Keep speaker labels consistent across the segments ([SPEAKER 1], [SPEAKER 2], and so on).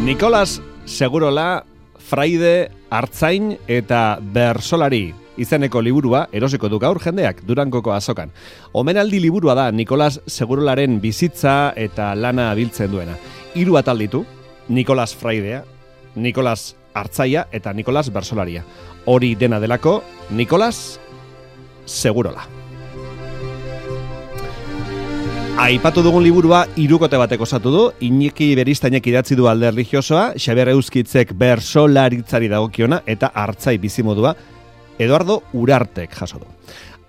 [SPEAKER 1] Nikolas Segurola, fraide, artzain eta bersolari izeneko liburua erosiko du gaur jendeak Durangoko azokan. Omenaldi liburua da Nikolas Segurolaren bizitza eta lana biltzen duena. 3 atal ditu, Nikolas fraidea, Nikolas artzaia eta Nikolas bersolaria. Hori dena delako, Nikolas Segurola. Aipatu dugun liburua 3 kote batek osatu du, Iñaki Beristainek idatzi du alde erlijiosoa, Xabier Euskitzek bersolaritzari dagokiona eta artzai bizimodua Eduardo Urartek jaso du.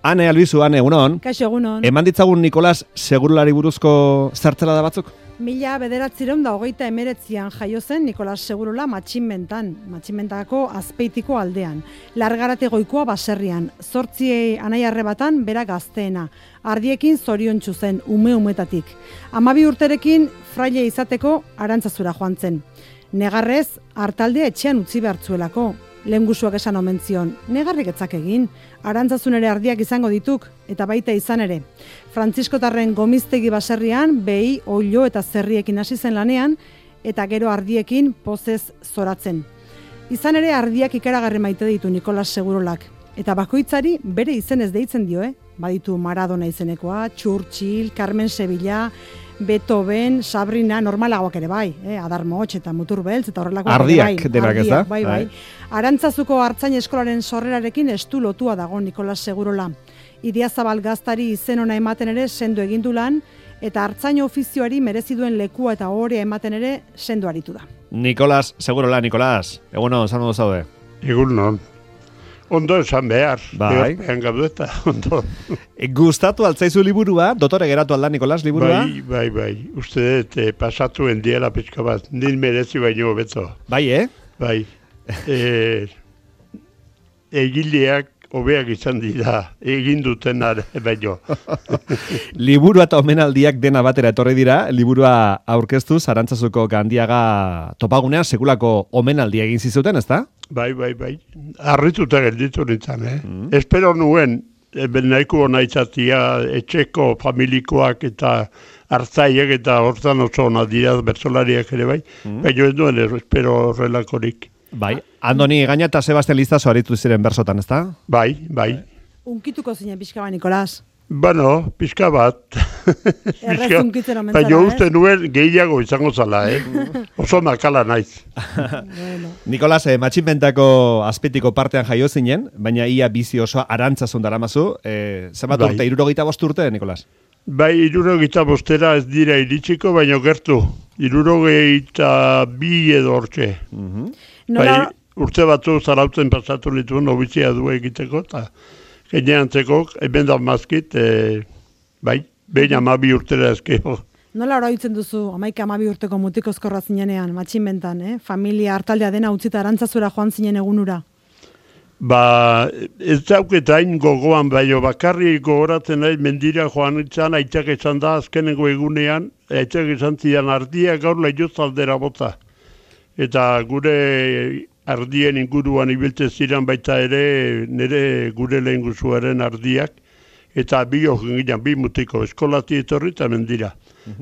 [SPEAKER 1] Ane Albizu, Ane, egunon.
[SPEAKER 2] Kaixo, egunon.
[SPEAKER 1] Eman ditzagun Nikolas Segurolari buruzko zertzela da batzuk?
[SPEAKER 2] 1919an jaio zen Nikolas Segurola Matxinmentako Azpeitiko aldean. Largarate goikoa baserrian, 8 anai-arrebatan bera gazteena. Ardiekin zoriontsu zen, umetatik. 12 urterekin fraile izateko Arantzazura joan zen. Negarrez, hartaldea etxean utzi behartzuelako. Lehengusuak esan omen zion, negarrik etzak egin, Arantzazun ere ardiak izango dituk, eta baita izan ere. Frantziskotarren Gomiztegi baserrian, behi, oilo eta zerriekin hasi zen lanean, eta gero ardiekin pozez zoratzen. Izan ere ardiak ikaragarri maite ditu Nikolas Segurolak, eta bakoitzari bere izenez deitzen dio, Baditu Maradona izenekoa, Churchill, Carmen Sevilla, Beethoven, Sabrina, normalagoak ere bai, Adar Motx eta Mutur Beltz eta horrelakoak
[SPEAKER 1] ardiak ere bai.
[SPEAKER 2] Ardiak, bai. Arantzazuko artzain eskolaren sorrerarekin estu lotua dago Nikolas Segurola. Idiazabal gaztari izen ona ematen ere sendo egin du lan, eta artzain ofizioari merezi duen lekua eta ohorea ematen ere sendo aritu da.
[SPEAKER 1] Nikolas Segurola, Nikolas, egunon, zan ondo zaude?
[SPEAKER 3] Egunon. Ondo esan behar,
[SPEAKER 1] bai.
[SPEAKER 3] Gaudeta, ondo.
[SPEAKER 1] Gustatu altzaizu liburua, dotore geratu alda Nikolas liburua?
[SPEAKER 3] Bai. Uste dut, pasatu endiela pixka bat, nil merezi baino beto.
[SPEAKER 1] Bai,
[SPEAKER 3] Bai. Egileak hobeak izan dira, egin duten baino.
[SPEAKER 1] Liburua eta omenaldiak dena batera etorri dira, liburua aurkeztu, Arantzazuko Gandiaga topagunean sekulako omenaldia egin zizuten, ezta?
[SPEAKER 3] Bai. Arrituta gelditu nintzen, Espero nuen, nahiko ona izatia, etxeko familikoak eta hartzaiek eta hortan oso ona dira bertsolariak ere bai, baina ez duen espero horrelakorik.
[SPEAKER 1] Bai, Andoni Gaina eta Sebastian Lizaso aritu ziren bersotan, ezta?
[SPEAKER 3] Bai.
[SPEAKER 2] Unkituko zinen pixka bat, Nikolas.
[SPEAKER 3] Bueno, pixka bat.
[SPEAKER 2] Errez unkitzen omen
[SPEAKER 3] baina uste nuen gehiago izango zala, Oso makala naiz.
[SPEAKER 2] Bueno.
[SPEAKER 1] Nikolas, Matxinmentako Azpeitiko partean jaio zinen, baina ia bizi osoa Arantzazun daramazu. Zenbat urte, 75 urte, Nikolas?
[SPEAKER 3] Bai, 75 ez dira iritsiko, baina gertu. 72 edo hortxe. Bai, urte batzu zarautzen pasatu nitu nobizia du egiteko, eta geneantzeko, hemen da mazkit, bai, behin 12 urtera ezkeo.
[SPEAKER 2] Nola oroitzen duzu, 12 urteko mutikozkorra zinenean, Matxinmentan, Familia hartaldea dena utzita Arantzazura joan zinen egunura?
[SPEAKER 3] Ba, ez dauketain gogoan, baino bakarri gogoratzen nahi mendira joan itzan, aitzak izan da azkenengo egunean, aitzak izan zidan ardia gaur lehioz aldera bota. Eta gure ardien inguruan ibiltzen ziren baita ere, nire gure lehen guzuaren ardiak, eta bi mutiko, eskolati etorri eta mendira.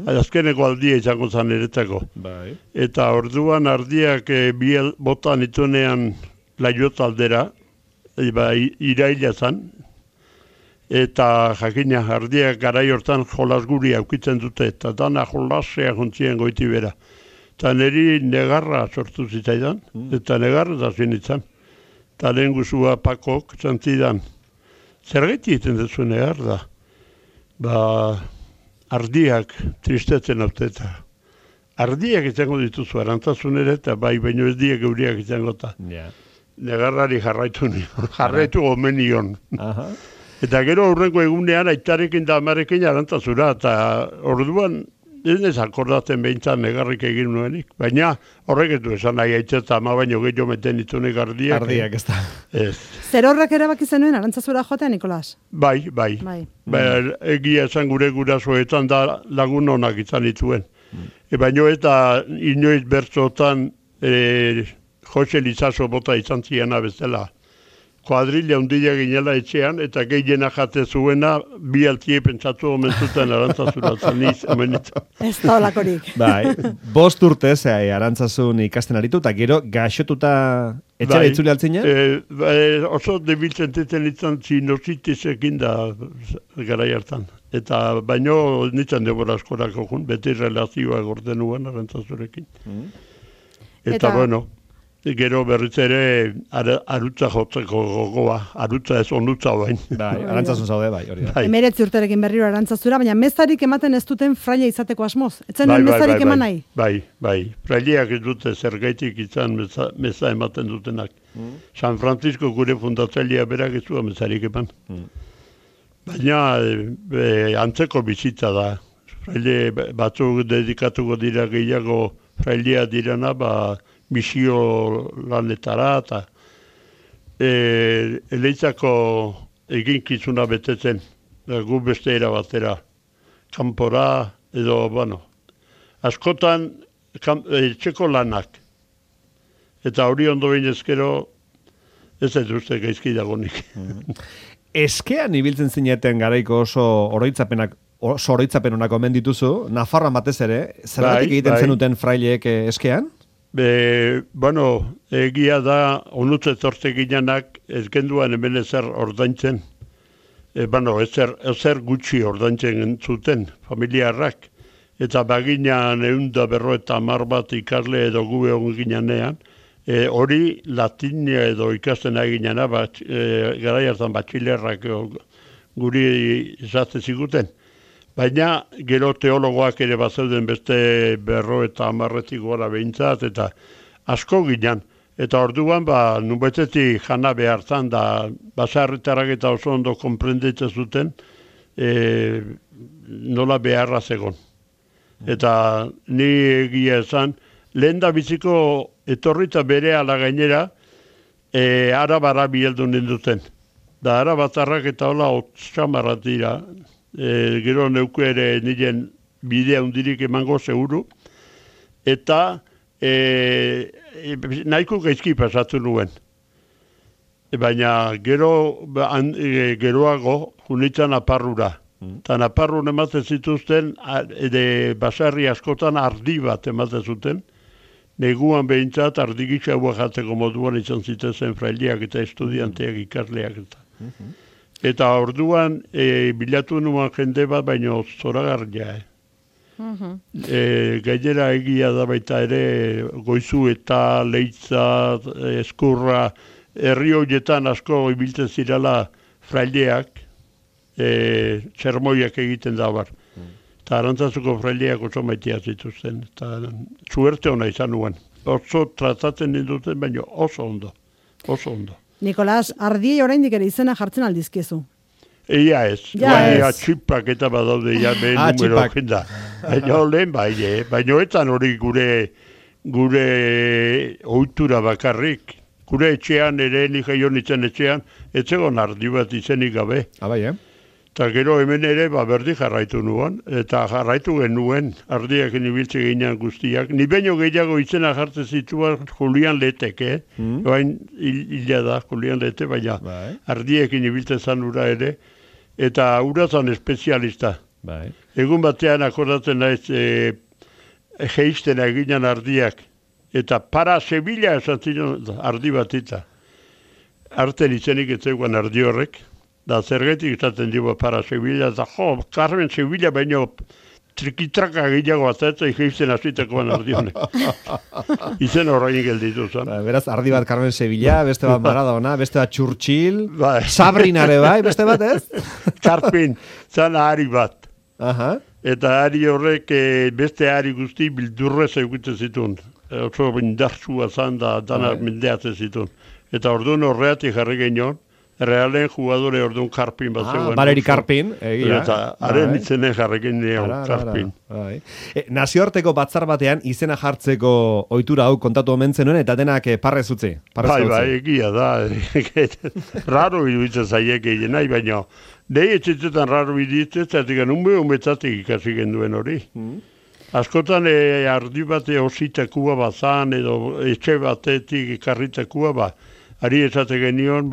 [SPEAKER 3] Azkeneko aldia izango zan eretzako.
[SPEAKER 1] Bai.
[SPEAKER 3] Eta orduan ardiak bi botan itunean laiot aldera, iraila zan, eta jakina ardiak garai hortan jolas guri aukitzen dute, eta dana jolasea jontzien goiti bera. Eta niri negarra sortu zitzaidan, eta negarra da zinitzen. Eta lehen guzua pakok zantzidan. Zergaiti egiten duzu negar da? Ba, ardiak tristetzen auteta. Ardiak izango dituzu Arantzazun ere, eta bai, baino ez diek euriak izango eta. Negarrari jarraitu gomenion. Eta gero aurrengo egunean aitarekin da amarekin Arantzazura, eta orduan ez nez akordatzen behintzan negarrik egin nuenik. Baina horrek ez du esan nahi aitzeta ama baino gehiago meten ditunek ardiak.
[SPEAKER 1] Ardiak, ez da.
[SPEAKER 2] Zer horrek erabaki zenuen Arantzazura joatea, Nikolas?
[SPEAKER 3] Bai. Egia esan gure gurasoetan da lagun onak izan dituen. Baina eta inoiz bertzotan Jose Lizaso bota izan ziena bezala. kuadrilla hundila ginela etxean, eta gehiena jate zuena, bi altie pentsatu omen zuten Arantzazuratzen emenitzen.
[SPEAKER 2] Ez da olakorik.
[SPEAKER 1] Bai, 5 urte Arantzazun ikasten aritu, eta gero gaixotuta etxera itzuli altzina?
[SPEAKER 3] Oso debiltzen teten itzan sinusitisekin da garai hartan. Eta baino nintzen debora askorako jun, beti relazioa gorden nuen Arantzazurekin. Eta bueno, gero berriz ere arutza jotzeko gogoa, arutza ez onutza bain.
[SPEAKER 1] Bai, Arantzazun zaude, bai, hori da.
[SPEAKER 2] 19 urterekin berriro Arantzazura, baina mezarik ematen ez duten fraile izateko asmoz. Etzen mezarik eman nahi?
[SPEAKER 3] Bai. Fraileak ez dute zergaitik izan meza ematen dutenak. San Francisco gure fundatzailea berak ez zuen mezarik eman. Baina antzeko bizitza da. Fraile batzuk dedikatuko dira gehiago frailea direna, misio lanetara, eta eleitzako eginkizuna betetzen, gu beste erabatera, kanpora, edo, askotan etxeko lanak. Eta hori ondo binezkero, ez ez uste gaizki dagonik.
[SPEAKER 1] Eskean ibiltzen zineten garaiko oso oroitzapen honak omen dituzu, Nafarroan batez ere, zergatik egiten zenuten fraileek eskean?
[SPEAKER 3] Egia da, onutze zorte ginenak ez genduan hemen ezer ordaintzen. Ezer gutxi ordaintzen zuten, familiarrak. Eta baginan 150 bat ikasle edo gu egon ginean, hori latinia edo ikasten aginana, garai hartan batxilerrak guri izate ziguten. Baina gero teologoak ere bazeuden beste 50 gora behintzat, eta asko ginen. Eta orduan, nunbaitetik jana behartan da, basarritarak eta oso ondo konprenditzen zuten, nola beharra zegon. Eta ni egia esan, lehen da biziko etorrita bere ala gainera, arabara bieldu ninduten. Da arabatarrak eta hola otxamarrat dira, gero neuku ere niren bidea hundirik emango seguru, eta nahiko gaizki pasatu nuen. Baina geroago junitzen aparrura. Eta naparrun ematen zituzten, basarri askotan ardi bat ematen zuten, neguan behintzat ardi gitxaua jatzeko moduan izan zitezen fraileak eta estudianteak ikasleak eta. Eta orduan bilatu nuen jende bat, baina zoragarria. Gainera egia da baita ere Goizu eta Leitza, Eskurra, herri horietan asko ibiltzen zirala fraileak, sermoiak egiten da bar. Eta Arantzazuko fraileak oso maitea zituzten. Eta suerte hona izan nuen. Oso tratatzen ninduten, baina oso ondo. Oso ondo.
[SPEAKER 2] Nikolas, ardiei oraindik ere izena jartzen aldizkiezu.
[SPEAKER 3] Ia ez. Baina txipak eta badaude ja behin numero da. Baina lehen baina etan hori gure ohitura bakarrik. Gure etxean ere, ni jaio nintzen etxean, etzegon ardi bat izenik gabe.
[SPEAKER 1] Bai,
[SPEAKER 3] Eta gero hemen ere berdi jarraitu nuen, eta jarraitu genuen ardiak nibiltze ginean guztiak. Ni baino gehiago izena jartzen zituen Julian Letek, Bain hila da Julian Lete, baina ardiekin nibiltzen zan ura ere, eta ura zan espezialista. Egun batean akordatzen naiz geizten eginan ardiak, eta para Sevilla esan ziren ardi batita. Arten izenik etzeguan ardi horrek, da zergetik izaten dugu para Sevilla, eta Carmen Sevilla baino trikitraka gehiago atzatza geizten azitekoan ardi honek. Izen horrein gelditu zen.
[SPEAKER 1] Beraz, ardi bat Carmen Sevilla, beste bat Maradona, beste bat Churchill, Sabrinare bai, beste bat ez?
[SPEAKER 3] Karpin, zan ari bat. Eta ari horrek beste ari guzti bildurrez egiten zituen. Oso indartsua zan da danak mendeatzen zituen. Eta orduan horreatik jarri genion, Realen jugadore orduan Karpin bat zegoen.
[SPEAKER 1] Valeri Karpin, egia.
[SPEAKER 3] Eta haren itzenen jarrekin neon Karpin.
[SPEAKER 1] Nazioarteko batzar batean izena jartzeko ohitura hau kontatu omen zenuen, eta denak parrez utzi.
[SPEAKER 3] Bai, egia da. Raro iduitzen zaiek egin nahi, baina nahi etxetetan raro iduitzen, zatik unbe umetzatik ikasi genduen hori. Askotan ardi bate ositakua bazan, edo etxe batetik ikarritakua ari esate genion,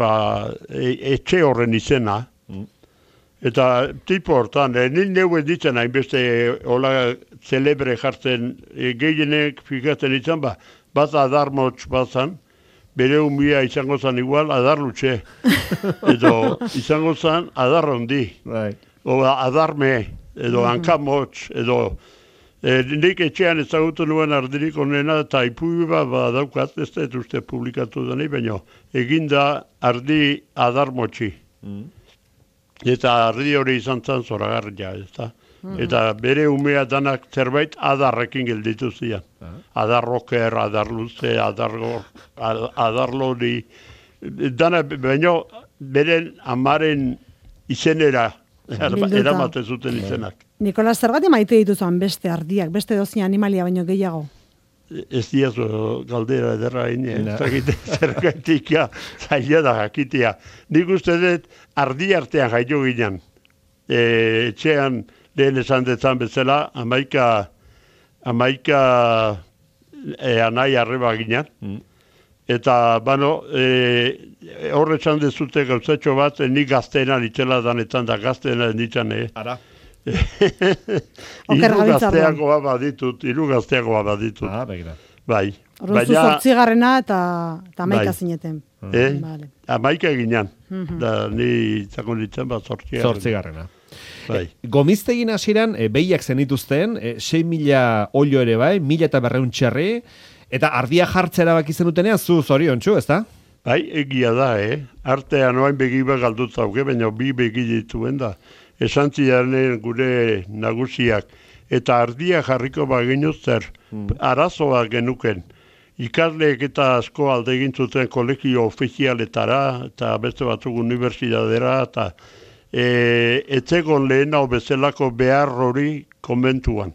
[SPEAKER 3] etxe horren izena. Eta tipo hortan, nil neu ez ditzen hainbeste hola celebre jartzen gehienek fikatzen izan, bat adarmotx batzan, bere umia izango zan igual adarlutxe. Edo izango zan adarrondi.
[SPEAKER 1] Right.
[SPEAKER 3] O adarme, edo hankamotx, edo nik etxean ezagutu nuen ardirik onena eta ipubi daukat, ez da uste publikatu da nahi, baina eginda ardi adarmotxi. Eta ardi hori izan zan zoragarria, ez da. Eta bere umea danak zerbait adarrekin gelditu zian. Adarroker, adarluze, adarlori. Dana, baina beren amaren izenera eramaten zuten izenak.
[SPEAKER 2] Nikolas, zergatik maite dituzuan beste ardiak, beste dozi animalia baino gehiago?
[SPEAKER 3] Ez diazu galdera ederra zergaitik zaila da jakitea. Nik uste dut ardi artean jaio ginen. Etxean lehen esan detzan bezala, amaika anai arreba ginen. Eta, horretzan dezute gauzatxo bat, nik gazteena nitzela danetan da gazteena nitzan,
[SPEAKER 1] Ara.
[SPEAKER 3] Hiru gazteagoa baditut.
[SPEAKER 1] Begira.
[SPEAKER 3] Bai.
[SPEAKER 2] Orduan zu 8. eta 11 zineten. Vale.
[SPEAKER 3] 11 ginen. Da ni izango nintzen
[SPEAKER 1] 8.
[SPEAKER 3] Bai.
[SPEAKER 1] Gomiztegin hasieran behiak zenituzten, 6.000 olio ere bai, 1.200 txerri, eta ardia jartzea erabaki zenutenean zu zoriontsu, ezta?
[SPEAKER 3] Bai, egia da, Artean oain begiba galdut zauke, baina bi begi dituen da. Esan zidanen gure nagusiak, eta ardia jarriko baginu zer, arazoa genuken. Ikasleek eta asko alde egin zuten kolegio ofizialetara, eta beste batzuk unibertsitatera, eta etzegon lehen hau bezalako behar hori konbentuan.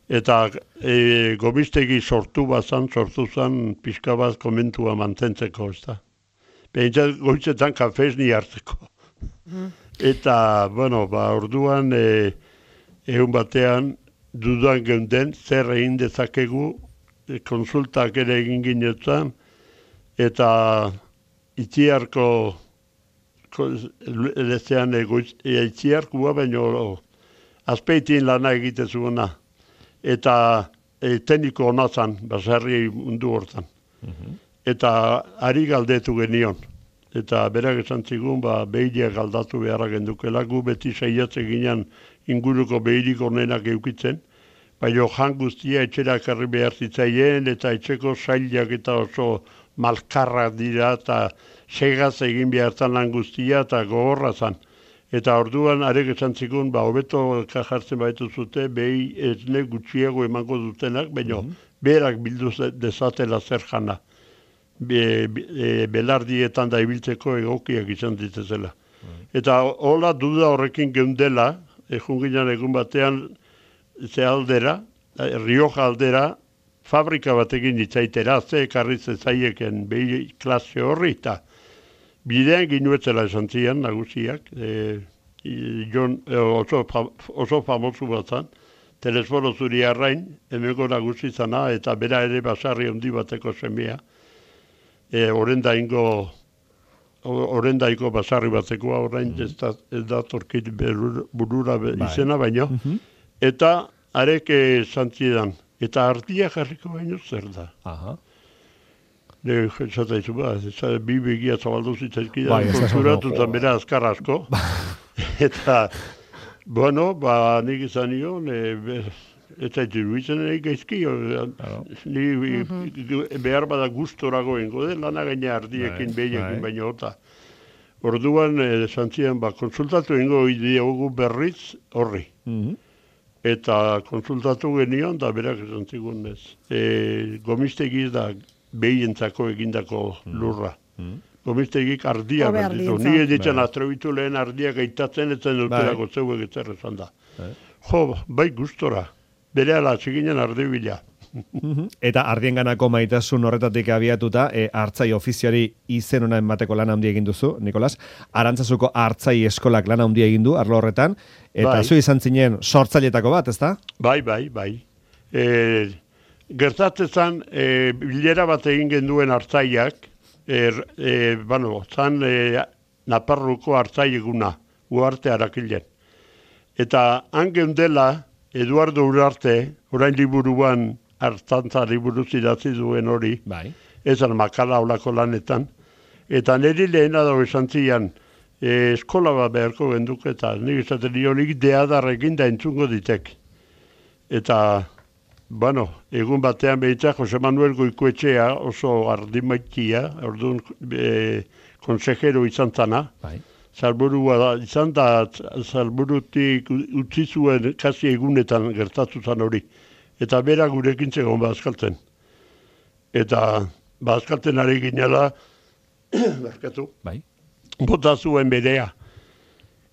[SPEAKER 3] Eta Gomiztegi sortu zan pixka bat konbentua mantentzeko, ez da. Behintzat goitzetan kafezni hartzeko. Eta, orduan, egun batean, dudan geunden, zer egin dezakegu, konsultak ere egin ginetan, eta itziarko, lezean itziarkua, baina azpeitin lana egitezuguna. Eta tekniko hona zan, baserri mundu hortan. Eta ari galdetu genion. Eta berak esan zigun, behileak aldatu beharra gendukela, gu beti saiatze ginen inguruko behirik onenak eukitzen, baina jan guztia etxera karri behar zitzaien, eta etxeko sailak eta oso malkarrak dira, eta segaz egin behar zan lan guztia, eta gogorra zan. Eta orduan arek esan zigun, hobeto jartzen baitu zute, behi esne gutxiago emango dutenak, baina berak bildu dezatela zer jana. Belardietan da ibiltzeko egokiak izan ditezela. Eta hola duda horrekin geundela, junginan egun batean ze aldera, Rioja aldera, fabrika batekin itzaitera, ze ekarri zezaieken behi klase horri, eta bidean ginuetzela esan zian, nagusiak, oso famosu bat zan, telesforo zuri arrain, hemengo nagusi zana, eta bera ere basarri handi bateko semea, orendaiko basarri batekoa, orain ez da torkit burura izena baino, eta arek zantzidan, eta ardia jarriko baino zer da. Zata izu bi begia zabaldu zitzaizkidan, konturatu zan bera azkar asko, eta, nik izan nion, ez zaitu iruditzen nahi gaizki, behar bada gustorago ingo den, lana gaina ardiekin, behiekin baino eta. Orduan, zantzian, konsultatu ingo diogu berriz horri. Eta konsultatu genion, da berak esan zigun ez. Gomiztegi da behientzako egindako lurra. Gomiztegik ardia berditu. Ni editzen atrebitu lehen ardiak gaitatzen, etzen dutelako zeuek ezer esan da. Bai gustora. Bere ala txikinen ardibila.
[SPEAKER 1] Eta ardienganako maitasun horretatik abiatuta, hartzai ofiziari izen ona emateko lan handia egin duzu, Nikolas. Arantzazuko hartzai eskolak lan handia egin du, arlo horretan. Eta zu izan zinen sortzailetako bat, ezta?
[SPEAKER 3] Bai. Gertatzen bilera bat egin genduen hartzaiak, zan Naparruko hartzai eguna, Uarte Arakilen. Eta han geundela, Eduardo Urarte, orain liburuan hartzantza liburu idatzi duen hori,
[SPEAKER 1] Bai.
[SPEAKER 3] ezan makala olako lanetan, eta niri lehena dago esan zian, eskola bat beharko genduk, eta nik esaten nionik deadarrekin da entzungo ditek. Eta, egun batean behitzak Jose Manuel Goikoetxea oso ardimaitia, orduan konsejero izan zana,
[SPEAKER 1] Bai.
[SPEAKER 3] Salburua izan da, salburutik utzi zuen kasi egunetan gertatu zan hori. Eta bera gurekin zegoen bazkaltzen. Eta bazkaltzen ari ginela, barkatu,
[SPEAKER 1] Bai.
[SPEAKER 3] bota zuen berea.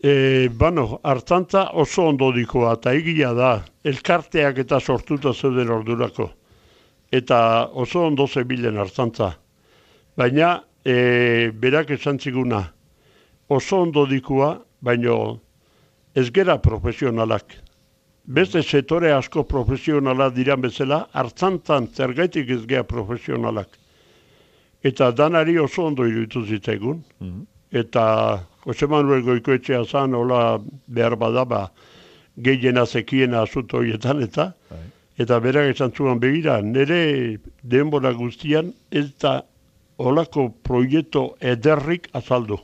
[SPEAKER 3] Hartzantza oso ondo dikoa, eta egia da, elkarteak eta sortuta zeuden ordurako. Eta oso ondo zebilen hartzantza. Baina, berak esan ziguna, oso ondo dikoa, baina ez gera profesionalak. Beste setore asko profesionalak diran bezala, hartzantzan zergaitik ez gea profesionalak. Eta danari oso ondo iruditu zitzaigun. Eta Jose Manuel Goikoetxea zan, hola behar badaba, gehiena zekiena asunto horietan, eta berak esan zuen begira, nire denbora guztian ez da holako proiektu ederrik azaldu.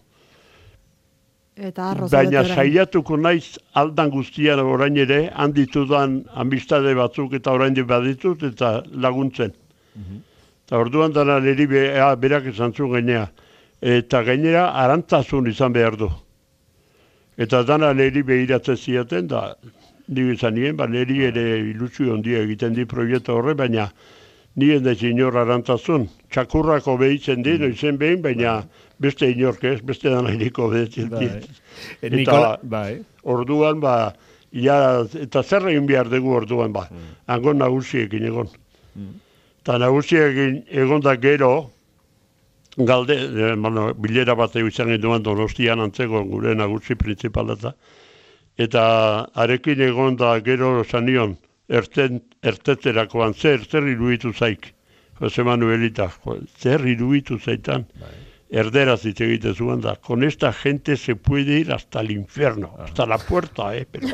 [SPEAKER 3] Baina saiatuko naiz aldan guztian orain ere, handitudan amistade batzuk eta orain baditut eta laguntzen. Eta orduan dara niri berak esan zuen gainea. Eta gainera arantzazun izan behar du. Eta dana niri behiratzen ziaten, da nire izan nien, niri ere ilusio ondia egiten di proiektu horre, baina nien da inor arantzazun. Txakurrako behitzen di, noizen behin, baina beste inork ez, beste dana iriko behitzen di. Eta orduan, eta zer egin behar dugu orduan, hango nagusiekin egon. Eta nagusiekin egon da gero, bilera bat izan genduan Donostian antzeko gure nagusi printzipalata. Eta arekin egon da gero zanion, ertetzerakoan, zer iruditu zaik, Jose Manuelita, zer iruditu zaitan, erderaz hitz egite zuen da, con esta gente se puede ir hasta el infierno, hasta la puerta, pero...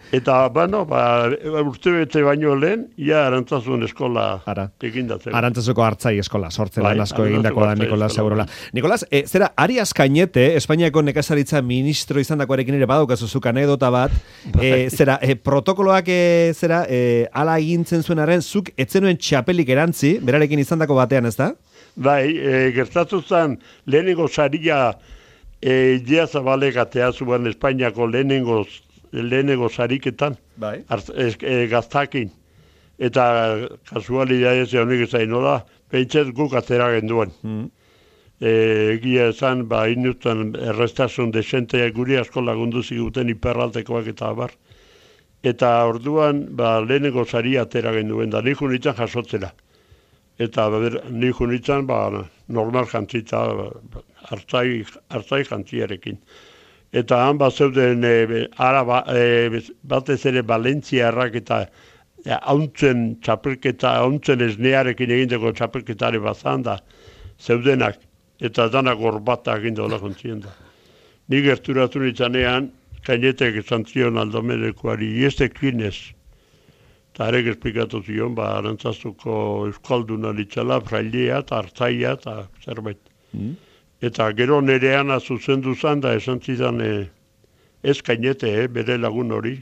[SPEAKER 3] Eta, urte bete baino lehen, ia Arantzazun eskola egindatzen.
[SPEAKER 1] Arantzazuko hartzai eskola, sortzen lan asko egindako da Nikolas Segurola. Nikolas, zera, Arias Cañete, Espainiako nekazaritza ministro izandakoarekin ere badaukazuzu anekdota bat, zera, protokoloak ala egintzen zuenaren, zuk etzenuen txapelik erantzi, berarekin izandako batean, ez da?
[SPEAKER 3] Bai, gertatu zen lehenengo saria Idea Zabalek atea zuen Espainiako lehenengo sariketan, gaztakin. Eta kasualidadez honik ezain nola, pentset guk atera genduen. Egia esan, inutzen errestasun desenteak guri asko lagundu ziguten hiperraltekoak eta abar. Eta orduan, lehenengo saria atera genduen, da nik unitzen jasotzera. Eta nik unitzen, normal jantzita, hartzai jantziarekin. Eta han zeuden batez ere Valentziarrak eta hauntzen txapelketa, hauntzen esnearekin egindeko txapelketare bazan da, zeudenak, eta danak gorbata eginda hola kontzien da. Ni gerturatu nitzanean, Cañetek esan zion Aldomenekuari, iestekin ez. Eta arek esplikatu zion, Arantzazuko euskalduna nitzala, frailea eta hartzaia eta zerbait. Eta gero nerean zuzendu zan da esan zidan, ez Cañete, bere lagun hori.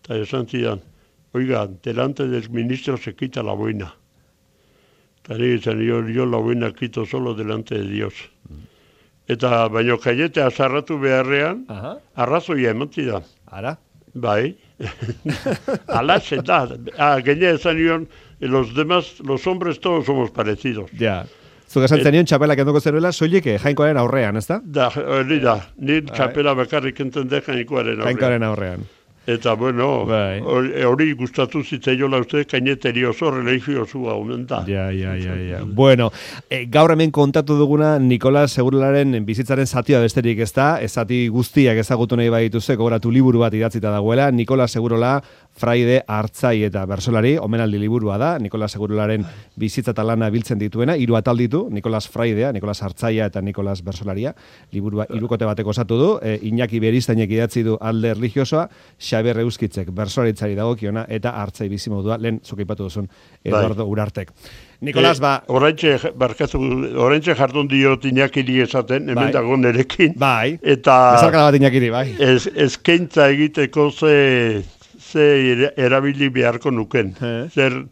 [SPEAKER 3] Eta esan zidan, oiga, delante del ministro se quita la boina. Eta nire izan, yo la boina quito solo delante de Dios. Eta baino Cañete azarratu beharrean, arrazoia eman zidan.
[SPEAKER 1] Ara?
[SPEAKER 3] Bai. Alaxe da. Gainera esan nion, los hombres todos somos parecidos.
[SPEAKER 1] Ja. Zuk esan zenion txapela kenduko zeruela, soilik jainkoaren aurrean, ez da?
[SPEAKER 3] Da, hori da. Ni txapela bakarrik enten de jainkoaren aurrean.
[SPEAKER 1] Jainkoaren aurrean.
[SPEAKER 3] Eta, bueno,
[SPEAKER 1] Bai.
[SPEAKER 3] hori gustatu zitzaiola uste, kaineteri oso religiosua omen da.
[SPEAKER 1] Ja. Bueno, gaur hemen kontatu duguna Nikolas Segurolaren bizitzaren zatia besterik ez da, zati guztiak ezagutu nahi badituze, gogoratu liburu bat idatzita dagoela, Nikolas Segurola, fraide, artzai eta bersolari, omenaldi liburua da, Nikolas Segurolaren bizitza eta lana biltzen dituena, 3 atal ditu, Nikolas fraidea, Nikolas artzaia eta Nikolas bersolaria, liburua 3 bateko osatu du, Iñaki Beristainek idatzi du alde religiosoa, Xabier Euskitzek bersolaritzari dagokiona eta artzai bizimodua, lehen zuk aipatu duzun Eduardo Urartek. Nikolas,
[SPEAKER 3] Oraintxe jardun diot Iñakiri esaten, hemen dago nerekin.
[SPEAKER 1] Bai,
[SPEAKER 3] eta
[SPEAKER 1] bezarkala bat Iñakiri, bai.
[SPEAKER 3] Eskaintza egiteko ze erabili beharko nuken. Zer,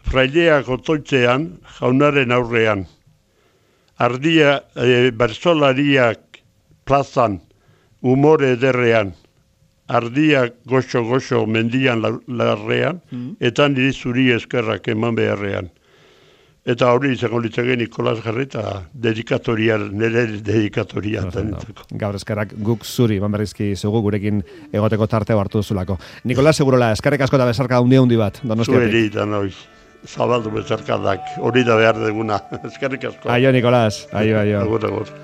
[SPEAKER 3] fraideak otoitzean, jaunaren aurrean, ardia bersolariak plazan, umore ederrean, ardiak goxo mendian larrean, eta niri zuri eskerrak eman beharrean. Eta hori izango litzake Nikolas Jarreta nire dedikatoria.
[SPEAKER 1] Gaur eskerrak guk zuri, eman berrizki zugu gurekin egoteko tartea hartu duzulako. Nikolas Segurola, eskerrik asko eta bezarka handi bat, Donostiatik.
[SPEAKER 3] Zueri eta noiz, zabaldu bezarkadak, hori da behar deguna. Eskerrik asko.
[SPEAKER 1] Aio, Nikolas, aio.
[SPEAKER 3] Agur.